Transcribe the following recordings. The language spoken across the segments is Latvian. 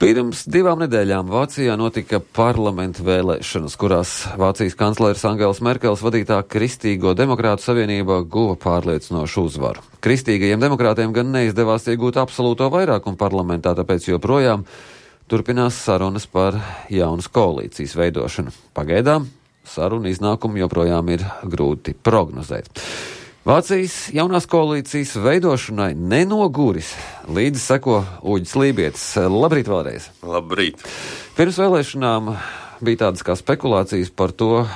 Pirms 2 nedēļām Vācijā notika parlamenta vēlēšanas, kurās Vācijas kancleres Angēlas Merkeles vadītā Kristīgo demokrātu savienība guva pārliecinošu uzvaru. Kristīgajiem demokrātiem gan neizdevās iegūt absolūto vairākumu parlamentā, tāpēc joprojām turpinās sarunas par jaunas koalīcijas veidošanu. Pagaidām sarunu iznākumu joprojām ir grūti prognozēt. Vācijas jaunās koalīcijas veidošanai nenoguris. Līdzi seko Uģis Lībietis. Labrīt vēlreiz. Labrīt. Pirms vēlēšanām bija tādas kā spekulācijas par to,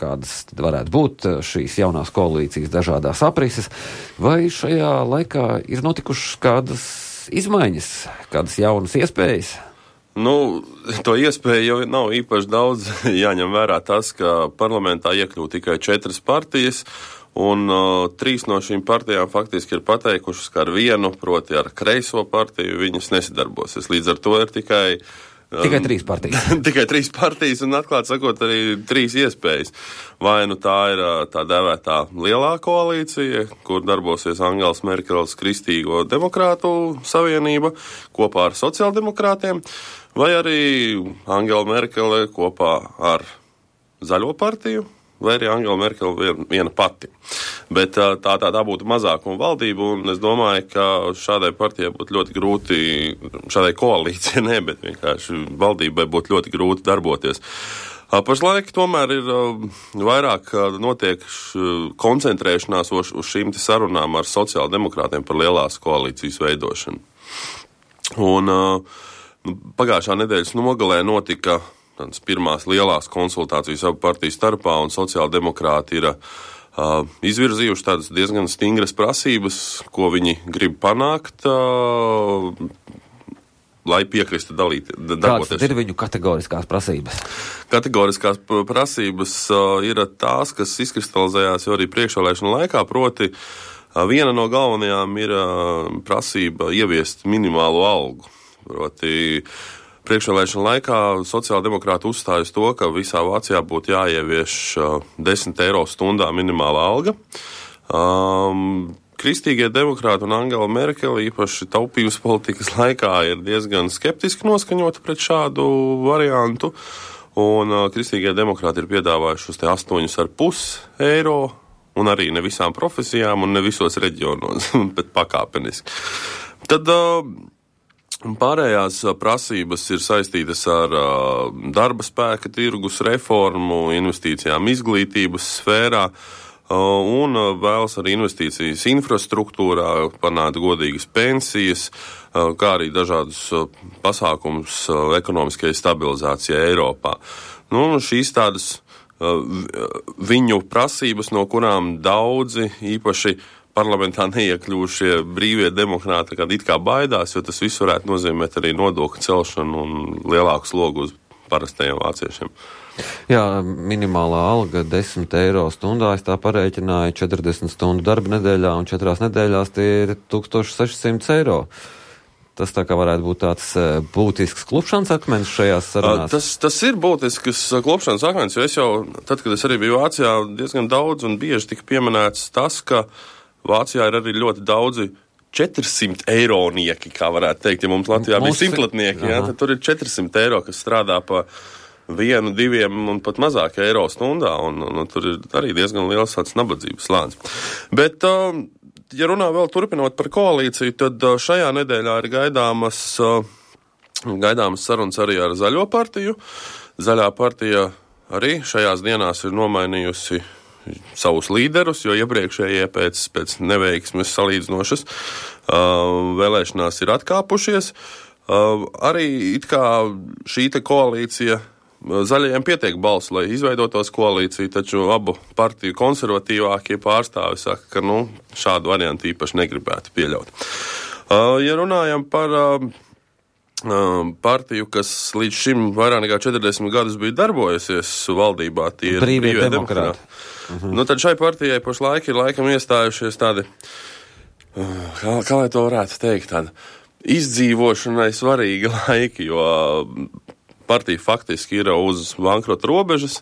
kādas varētu būt šīs jaunās koalīcijas dažādās aprises. Vai šajā laikā ir notikušas kādas izmaiņas, kādas jaunas iespējas? To iespēju jau nav īpaši daudz. Jāņem vērā tas, ka parlamentā iekļūt tikai 4 partijas, un 3 no šīm partijām faktiski ir pateikušas, ka ar vienu, proti ar kreiso partiju, viņas nesadarbosies. Līdz ar to ir tikai 3 partijas. Tikai 3 partijas un atklāt sakot arī 3 iespējas. Vai nu tā ir tā dēvētā lielā koalīcija, kur darbosies Angēlas Merkeles Kristīgo demokrātu savienība kopā ar sociāldemokrātiem, vai arī Angēla Merkele kopā ar Zaļo partiju, vai arī Angēla Merkele viena pati. Bet tā būtu mazākuma valdība, un es domāju, ka šādai partijai būtu ļoti grūti, šādai koalīcijai bet vienkārši valdībai būtu ļoti grūti darboties. Pašlaik tomēr ir vairāk notiek koncentrēšanās uz šīm sarunām ar sociāldemokrātiem par lielās koalīcijas veidošanu. Un pagājušā nedēļas nogalē notika tādas pirmās lielās konsultācijas abu partiju starpā, un sociāldemokrāti ir izvirzījuši tādas diezgan stingras prasības, ko viņi grib panākt, lai piekristu darboties. Kādas ir viņu kategoriskās prasības? Kategoriskās prasības ir tās, kas izkristalizējās jau arī priekšvēlēšanu laikā, proti viena no galvenajām ir prasība ieviest minimālo algu. Proti priekšvēlēšanu laikā sociāldemokrāti uzstājas to, ka visā Vācijā būtu jāievieš 10 eiro stundā minimāla alga. Kristīgie demokrāti un Angēla Merkele īpaši taupības politikas laikā ir diezgan skeptiski noskaņoti pret šādu variantu. Un kristīgie demokrāti ir piedāvājuši uz 8,5 eiro, un arī ne visām profesijām un ne visos reģionos, bet pakāpeniski. Tad pārējās prasības ir saistītas ar darba spēka tirgus reformu, investīcijām izglītības sfērā un vēlas arī investīcijas infrastruktūrā, panākt godīgas pensijas, kā arī dažādus pasākumus ekonomiskajai stabilizācijai Eiropā. Šīs tādas viņu prasības, no kurām daudzi īpaši parlamentā neiekļūšie brīvie demokrāti, kad it kā baidās, jo tas viss varētu nozīmēt arī nodokļu celšanu un lielāku slogu uz parastajiem vāciešiem. Jā, minimālā alga 10 eiro stundā, es tā parēķināju 40 stundu darba nedēļā, un 4 nedēļās tie ir 1600 eiro. Tas tā kā varētu būt tāds būtisks klupšanas akmens šajās sarunās? Tas ir būtisks klupšanas akmens, jo es jau, tad, kad es arī biju Vācijā, diezgan daudz un bieži tika pieminēts tas, ka Vācijā ir arī ļoti daudzi 400 eironieki, kā varētu teikt, ja mums Latvijā bija simtlatnieki, tad tur ir 400 eiro, kas strādā pa 1, 2 un pat mazāk eiro stundā, un tur ir arī diezgan liels tāds nabadzības slānis. Bet, ja runā vēl turpinot par koalīciju, tad šajā nedēļā ir gaidāmas sarunas arī ar Zaļo partiju. Zaļā partija arī šajās dienās ir nomainījusi savus līderus, jo iepriekšējie pēc neveiksmes salīdzinošas vēlēšanās ir atkāpušies. Arī it kā šī koalīcija Zaļajiem pietiek balsu, lai izveidotos koalīciju, taču abu partiju konservatīvākie pārstāvi saka, ka šādu variantu īpaši negribētu pieļaut. Ja runājam par partiju, kas līdz šim vairāk nekā 40 gadus bija darbojusies valdībā, tie ir brīvie demokrāti. Tad šai partijai pašlaik ir laikam iestājušies tādi, kā lai to varētu teikt, tādi izdzīvošanai svarīgi laiki, jo partija faktiski ir uz bankrota robežas,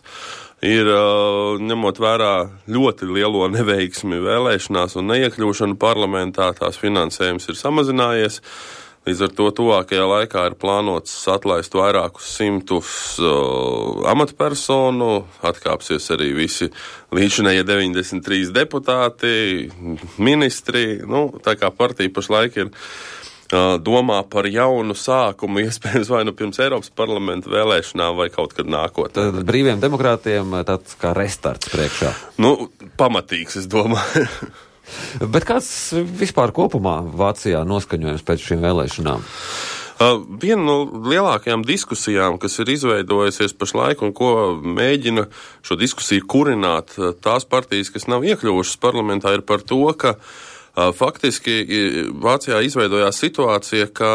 ir ņemot vērā ļoti lielo neveiksmi vēlēšanās un neiekļūšanu parlamentā, tās finansējums ir samazinājies. Līdz ar to tuvākajā laikā ir plānots atlaist vairākus simtus amatpersonu, atkāpsies arī visi līdzinējie 93 deputāti, ministri. Tā kā partija pašlaik ir domā par jaunu sākumu, iespējams vai pirms Eiropas parlamenta vēlēšanām vai kaut kad nākotnē. Tad brīviem demokrātiem tāds kā restarts priekšā. Pamatīgs, es domāju. Bet kāds vispār kopumā Vācijā noskaņojums pēc šīm vēlēšanām? Viena no lielākajām diskusijām, kas ir izveidojusies pašlaik un ko mēģina šo diskusiju kurināt tās partijas, kas nav iekļuvušas parlamentā, ir par to, ka faktiski Vācijā izveidojās situācija, ka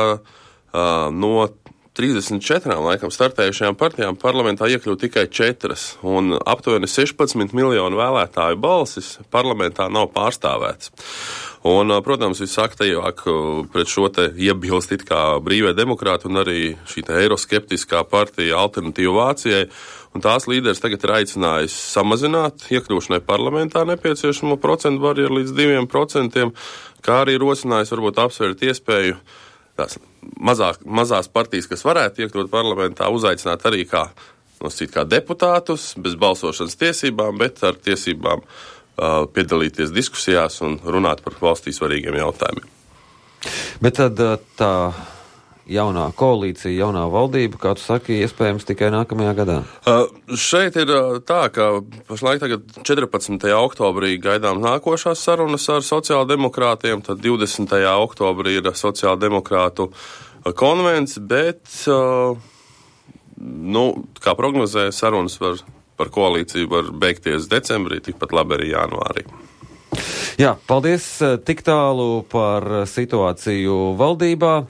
no 34 laikam startējušajām partijām parlamentā iekļūt tikai 4, un aptuveni 16 miljonu vēlētāju balsis parlamentā nav pārstāvēts. Un, protams, visaktīvāk pret šo te iebilst it kā brīvie demokrāti un arī šī te eiroskeptiskā partija Alternatīva Vācijai, un tās līderis tagad ir aicinājis samazināt iekļūšanai parlamentā nepieciešamo procentu barjeru līdz 2%, kā arī rosinājis varbūt apsvērt iespēju tās mazās partijas, kas varētu iekļūt parlamentā, uzaicināt arī kā deputātus bez balsošanas tiesībām, bet ar tiesībām piedalīties diskusijās un runāt par valstī svarīgiem jautājumiem. Bet tad tā jaunā koalīcija, jaunā valdība, kā tu saki, iespējams tikai nākamajā gadā? Šeit ir tā, ka pašlaik tagad 14. oktobrī gaidām nākošās sarunas ar sociāldemokrātiem, tad 20. oktobrī ir sociāldemokrātu konvents, bet, kā prognozē, sarunas par koalīciju var beigties decembrī, tikpat labi arī janvārī. Jā, paldies tik tālu par situāciju valdībā.